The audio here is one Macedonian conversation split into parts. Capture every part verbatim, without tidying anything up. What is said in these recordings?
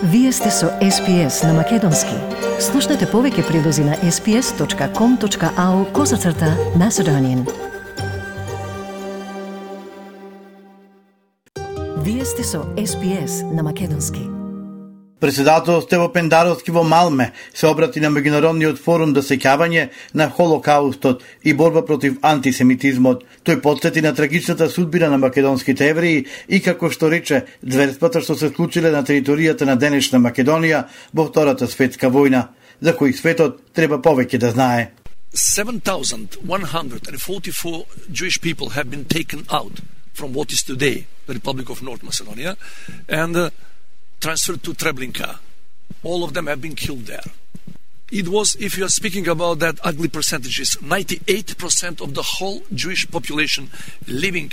Вие сте со Ес Пи Ес на Македонски. Слушнете повеќе прилози на ес пи ес точка ком точка ау козацрта Macedonian. Вие сте со Ес Пи Ес на Македонски. Председател Стево Пендаровски во Малме се обрати на меѓународниот форум за сеќавање на Холокаустот и борба против антисемитизмот. Тој потсети на трагичната судбина на македонските евреи и како што рече зверствата што се случиле на територијата на денешна Македонија во Втората светска војна, за кои светот треба повеќе да знае. seven thousand one hundred forty-four Jewish people have been taken out from what is today the Republic of North Macedonia and uh, transferred to Treblinka. All of them have been killed there. It was, if you are speaking about that ugly percentages, ninety-eight percent of the whole Jewish population living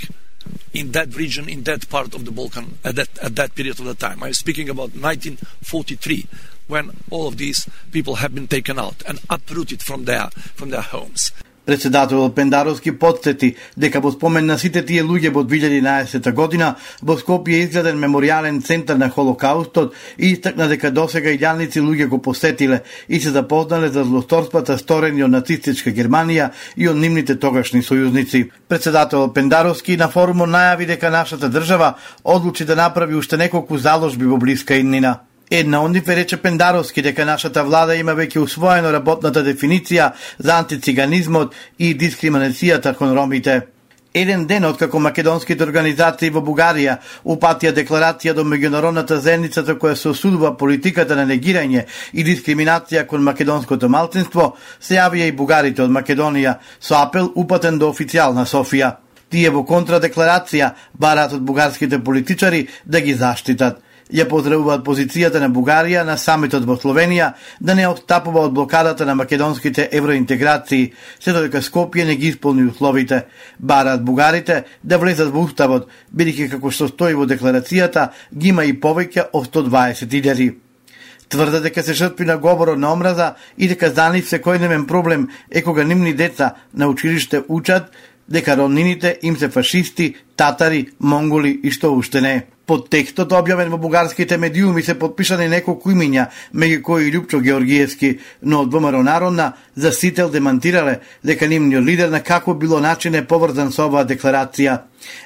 in that region, in that part of the Balkan at that, at that period of the time. I am speaking about nineteen forty-three, when all of these people have been taken out and uprooted from their, from their homes. Председател Пендаровски потсети дека во спомен на сите тие луѓе во две илјади и еднаесетта година во Скопје изграден меморијален центар на Холокаустот и истакна дека досега илјадници луѓе го посетиле и се запознале за злосторствата сторени од нацистичка Германија и од нивните тогашни сојузници. Председател Пендаровски на форумот најави дека нашата држава одлучи да направи уште неколку заложби во блиска иднина. Една од нив рече Пендаровски дека нашата влада има веќе усвоено работната дефиниција за антициганизмот и дискриминацијата кон ромите. Еден ден откако македонските организации во Бугарија упатија декларација до меѓународната заедница која се осудува политиката на негирање и дискриминација кон македонското малцинство, се јавија и бугарите од Македонија со апел упатен до официјална Софија. Тие во контрадекларација бараат од бугарските политичари да ги заштитат. Ја поздравуваат позицијата на Бугарија на самитот во Словенија да не отстапува од блокадата на македонските евроинтеграции, се додека Скопје не ги исполни условите. Бараат бугарите да влезат во уставот, бидејќи како што стои во декларацијата, ги има и повеќе од сто дваесет илјади. Тврдат дека се жртви на говорот на омраза и дека за нив секојдневен проблем е кога нивни деца на училиште учат дека роднините им се фашисти, татари, монголи и што уште не. Под текстот објавен во бугарските медиуми се подпишани неколку имиња, меѓу кои Љупчо Георгиевски, но од ВМРО Народна за Сител демантирале дека нивниот лидер на како било начин е поврзан со оваа декларација.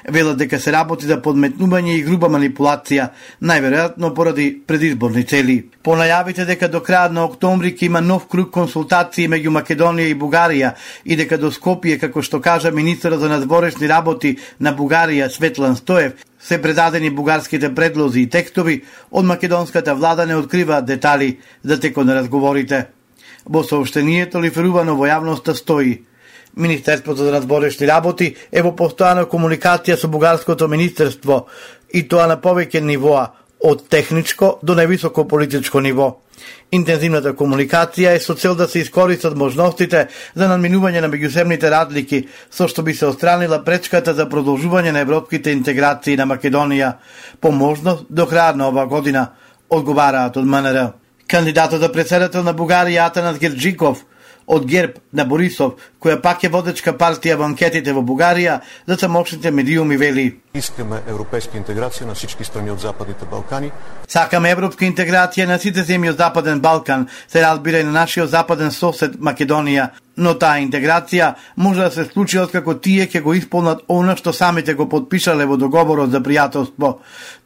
Велат дека се работи за подметнување и груба манипулација, најверојатно поради предизборни цели. По најавите дека до крајот на октомври ќе има нов круг консултации меѓу Македонија и Бугарија и дека до Скопје, како што кажа министерот за надворешни работи на Бугарија Светлан Стоев, се предадени бугарските предлози и текстови, од македонската влада не откриваат детали за текот на разговорите. Во сообштението лиферувано во јавноста стои: Министерството за надворешни работи е во постојана комуникација со бугарското министерство и тоа на повеќе нивоа, од техничко до највисоко политичко ниво. Интензивната комуникација е со цел да се искористат можностите за надминување на меѓусебните разлики, со што би се отстранила пречката за продолжување на европските интеграции на Македонија, по можност до крајот на оваа година, одговараат од М Н Р. Кандидатот за председател на Бугарија Атанас Герџиков од ГЕРБ на Борисов, која пак е водечка партија во анкетите во Бугарија, за самошните медиуми вели: Искаме европейска интеграција на всички страни од Западните Балкани. Сакаме европска интеграција на сите земји од Западен Балкан, се разбира и на нашиот западен сосед Македонија, но таа интеграција може да се случи откако тие ќе го исполнат она што самите го подпишале во договорот за пријателство.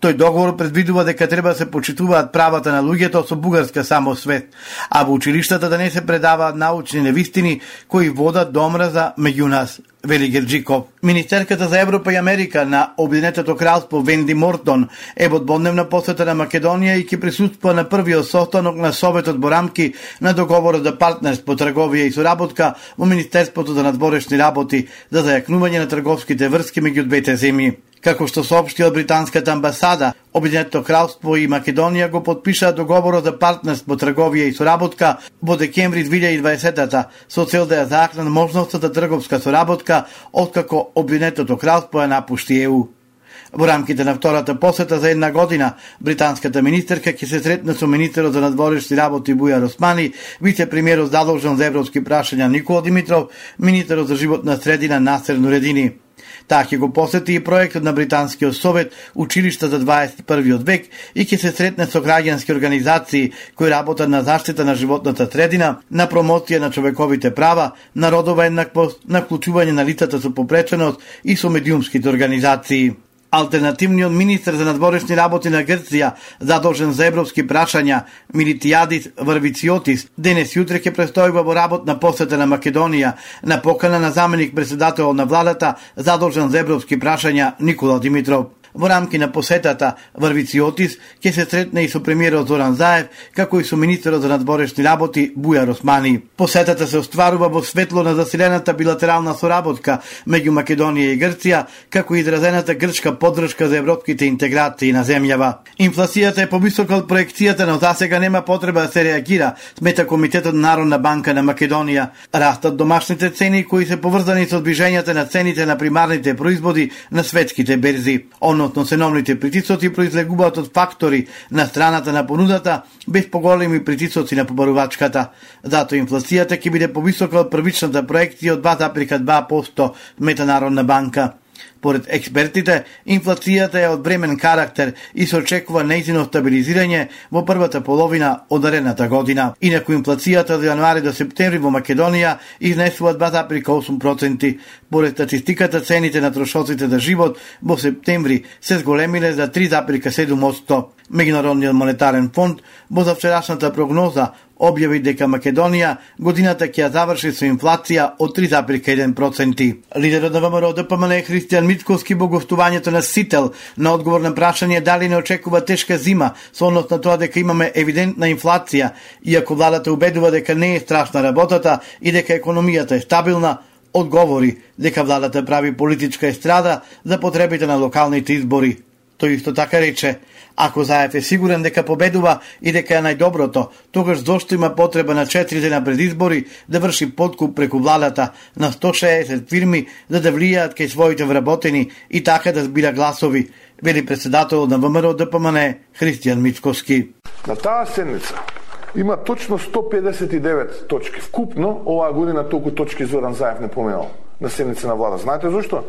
Тој договор предвидува дека треба да се почитуваат правата на луѓето со бугарска самосвест, а во училиштата да не се предаваат научни невистини кои водат до омраза меѓу нас, вели Герџиков. Министерката за Европа и Америка на Обединетото кралство Венди Мортон е во дводневна посета на Македонија и ќе присуствува на првиот состанок на Советот во рамки на договорот за партнерство, трговија и соработка во Министерството за надворешни работи за зајакнување на трговските врски меѓу двете земји. Како што соопшти од британската амбасада, Обединетото кралство и Македонија го подпишаа договорот за партнерство, трговија и соработка во декември две илјади и дваесета со цел да ја заакнат можноста за трговска соработка откако Обединетото кралство ја напушти Е У. Во рамките на втората посета за една година, британската министерка ќе се сретне со министерот за надворешни работи Бујар Османи, вице-премиерот задолжен за европски прашања Никола Димитров, министерот за животна средина Насер Нуредини. Таа ќе го посети и проектот на Британскиот совет Училишта за дваесет и првиот век и ќе се сретне со граѓански организации кои работат на заштита на животната средина, на промоција на човековите права, на родова еднаквост, на вклучување на лицата со попреченост и со медиумските организации. Алтернативниот министер за надворешни работи на Грција, задолжен за европски прашања, Милитијадис Варвициотис, денес и утре ќе престојува во работна посета на Македонија на покана на заменик председател на владата, задолжен за европски прашања Никола Димитров. Во рамки на посетата, Варвициотис ќе се сретне и со премиерот Зоран Заев, како и со министерот за надворешни работи Бујар Османи. Посетата се остварува во светло на засилената билатерална соработка меѓу Македонија и Грција, како и изразената грчка поддршка за европските интеграции на земјава. Инфлацијата е повисока од проекцијата, но засега нема потреба да се реагира, смета Комитетот на Народна банка на Македонија. Растат домашните цени кои се поврзани со движењата на цените на примарните производи на светските берзи. Односно ценовните притисоци произлегуваат од фактори на страната на понудата, без поголеми притисоци на побарувачката. Затоа инфлацијата ќе биде повисока од првичната проекција од два запирка два проценти смета Народна банка. Поред експертите, инфлацијата е од времен карактер и се очекува нејзино стабилизирање во првата половина од наредната година. Инаку инфлацијата од јануари до септември во Македонија изнесува два запирка осум проценти. Поред статистиката, цените на трошоците за живот во септември се зголемиле за три запирка седум проценти. Меѓународниот монетарен фонд во завчерашната прогноза објави дека Македонија годината ќе ја заврши со инфлација од три запирка еден проценти. Лидерот на ВМРО Д П М Н Христијан Мицкоски во гостувањето на Сител на одговор на прашање дали не очекува тешка зима со однос на тоа дека имаме евидентна инфлација, иако владата убедува дека не е страшна работата и дека економијата е стабилна, одговори дека владата прави политичка естрада за потребите на локалните избори. Тој исто така рече, ако Заев е сигурен дека победува и дека е најдоброто, тогаш зошто има потреба на четири дена пред избори да врши подкуп преку владата на сто шеесет фирми за да влијаат кај своите вработени и така да збира гласови, вели председател на ВМРО Д П М Н Христијан Мицкоски. На таа седница има точно сто педесет и девет точки. Вкупно оваа година толку точки Зоран Заев не поменал на седница на влада. Знаете зашто?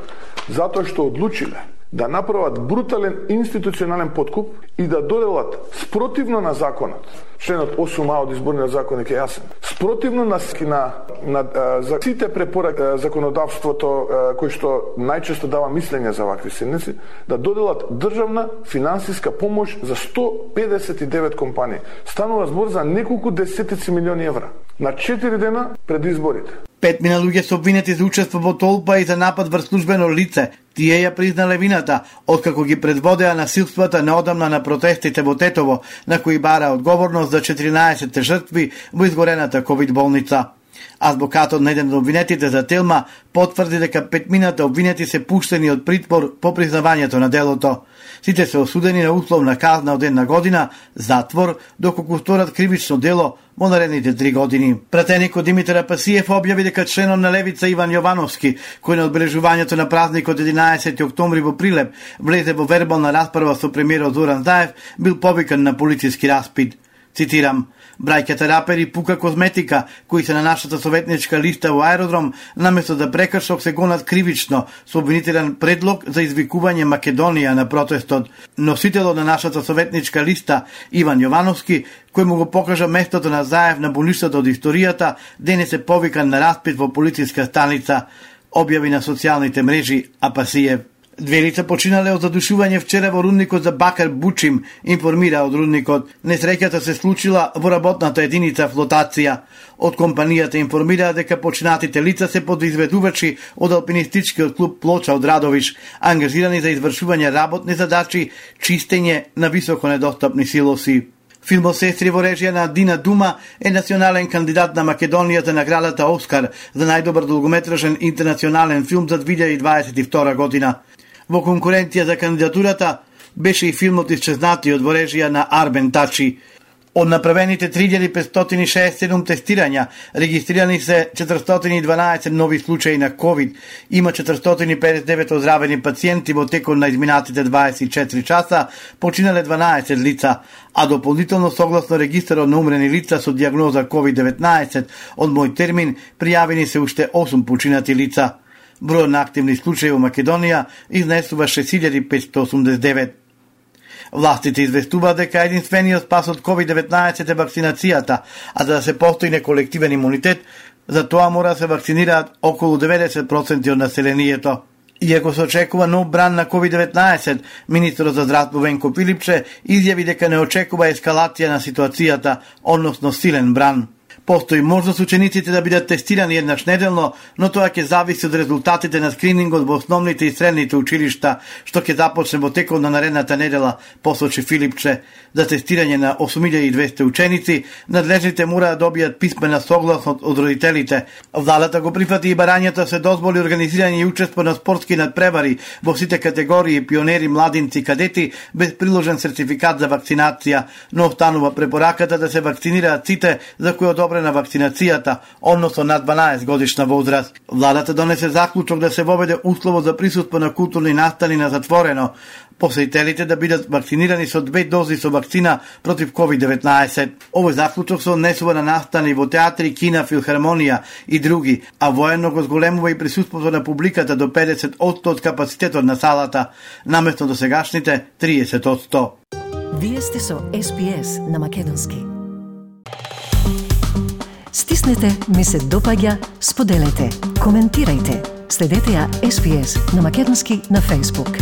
Затоа што одлучиле да направат брутален институционален подкуп и да доделат спротивно на законот. Членот осум А од изборниот законник е јасен. Спротивно на на, на за сите препораки законодавството кој што најчесто дава мислење за вакви седници, да доделат државна финансиска помош за сто педесет и девет компании. Станува збор за неколку десетици милиони евра на четири дена пред изборите. Петмина луѓе се обвинети за учество во толпа и за напад врз службено лице. Тие ја признале вината, откако ги предводеа насилствата неодамна на протестите во Тетово, на кои бара одговорност за четиринаесет жртви во изгорената ковид болница. Адвокатот на еден од обвинетите за Телма потврди дека петмината обвинети се пуштени од притвор по признавањето на делото. Сите се осудени на условна казна од една година затвор, доколку сторат кривично дело во наредните три години. Пратеникот Димитар Апасиев објави дека членот на Левица Иван Јовановски, кој на одбележувањето на празникот единаесети октомври во Прилеп влезе во вербална расправа со премиерот Зоран Заев, бил повикан на полициски распит. Цитирам: браќата рапери Пука Козметика, кои се на нашата советничка листа во аеродром, наместо да прекршок се гонат кривично со обвинителен предлог за извикување Македонија на протестот. Носителот на нашата советничка листа Иван Јовановски, кој му го покажа местото на Заев на болништата од историјата, денес е повикан на распит во полициска станица, објави на социјалните мрежи Апасиев. Две лица починале од задушување вчера во рудникот за бакар Бучим, информира од рудникот. Несреќата се случила во работната единица флотација. Од компанијата информира дека починатите лица се подизведувачи од алпинистичкиот клуб Плоча од Радовиш, ангажирани за извршување работни задачи, чистење на високо недостапни силоси. Филмот Сестри во режија на Дина Дума е национален кандидат на Македонија за наградата Оскар за најдобар долгометражен интернационален филм за две илјади дваесет и втора година. Во конкуренција за кандидатурата беше и филмот Исчезнатиот во режија на Арбен Тачи. Од направените три илјади петстотини шеесет и седум тестирања, регистрирани се четиристотини и дванаесет нови случаи на ковид. Има четиристотини и педесет и девет оздравени пациенти во текот на изминатите дваесет и четири часа, починале дванаесет лица, а дополнително согласно регистарот на умрени лица со диагноза ковид деветнаесет од мој термин пријавени се уште осум починати лица. Бројот на активни случаи во Македонија изнесува шест илјади петстотини осумдесет и девет. Властите известуваат дека единствениот спас од ковид деветнаесет е вакцинацијата, а за да се постигне колективен имунитет, за тоа мора да се вакцинираат околу деветдесет проценти од населението. Иако се очекува нов бран на ковид деветнаесет, министерот за здравство Венко Пилипче изјави дека не очекува ескалација на ситуацијата, односно силен бран. Постои можност учениците да бидат тестирани еднаш неделно, но тоа ќе зависи од резултатите на скринингот во основните и средните училишта, што ќе започне во текот на наредната недела, посочи Филипче. За тестирање на осум илјади и двесте ученици, надлежните мора да добијат писмена согласност од родителите. Владата го прифати и барањето се дозволи организирање и учество на спортски надпревари во сите категории пионери, младинци, кадети без приложен сертификат за вакцинација, но останува препораката да се вакцинираат сите за кои одобрена на вакцинацијата, односно над дванаесет годишна возраст. Владата донесе заклучок да се воведе услово за присуство на културни настани на затворено, посетителите да бидат вакцинирани со две дози со вакцина против ковид деветнаесет. Овој заклучок се однесува на настани во театри, кина, филхармонија и други, а воено го зголемува и присуството на публиката до педесет одсто од капацитетот на салата, наместо до сегашните триесет одсто. Вие сте со Ес Би Ес на македонски. Стиснете, ми се допаѓа, споделете, коментирајте. Следете ја Ес Би Ес на македонски на Facebook.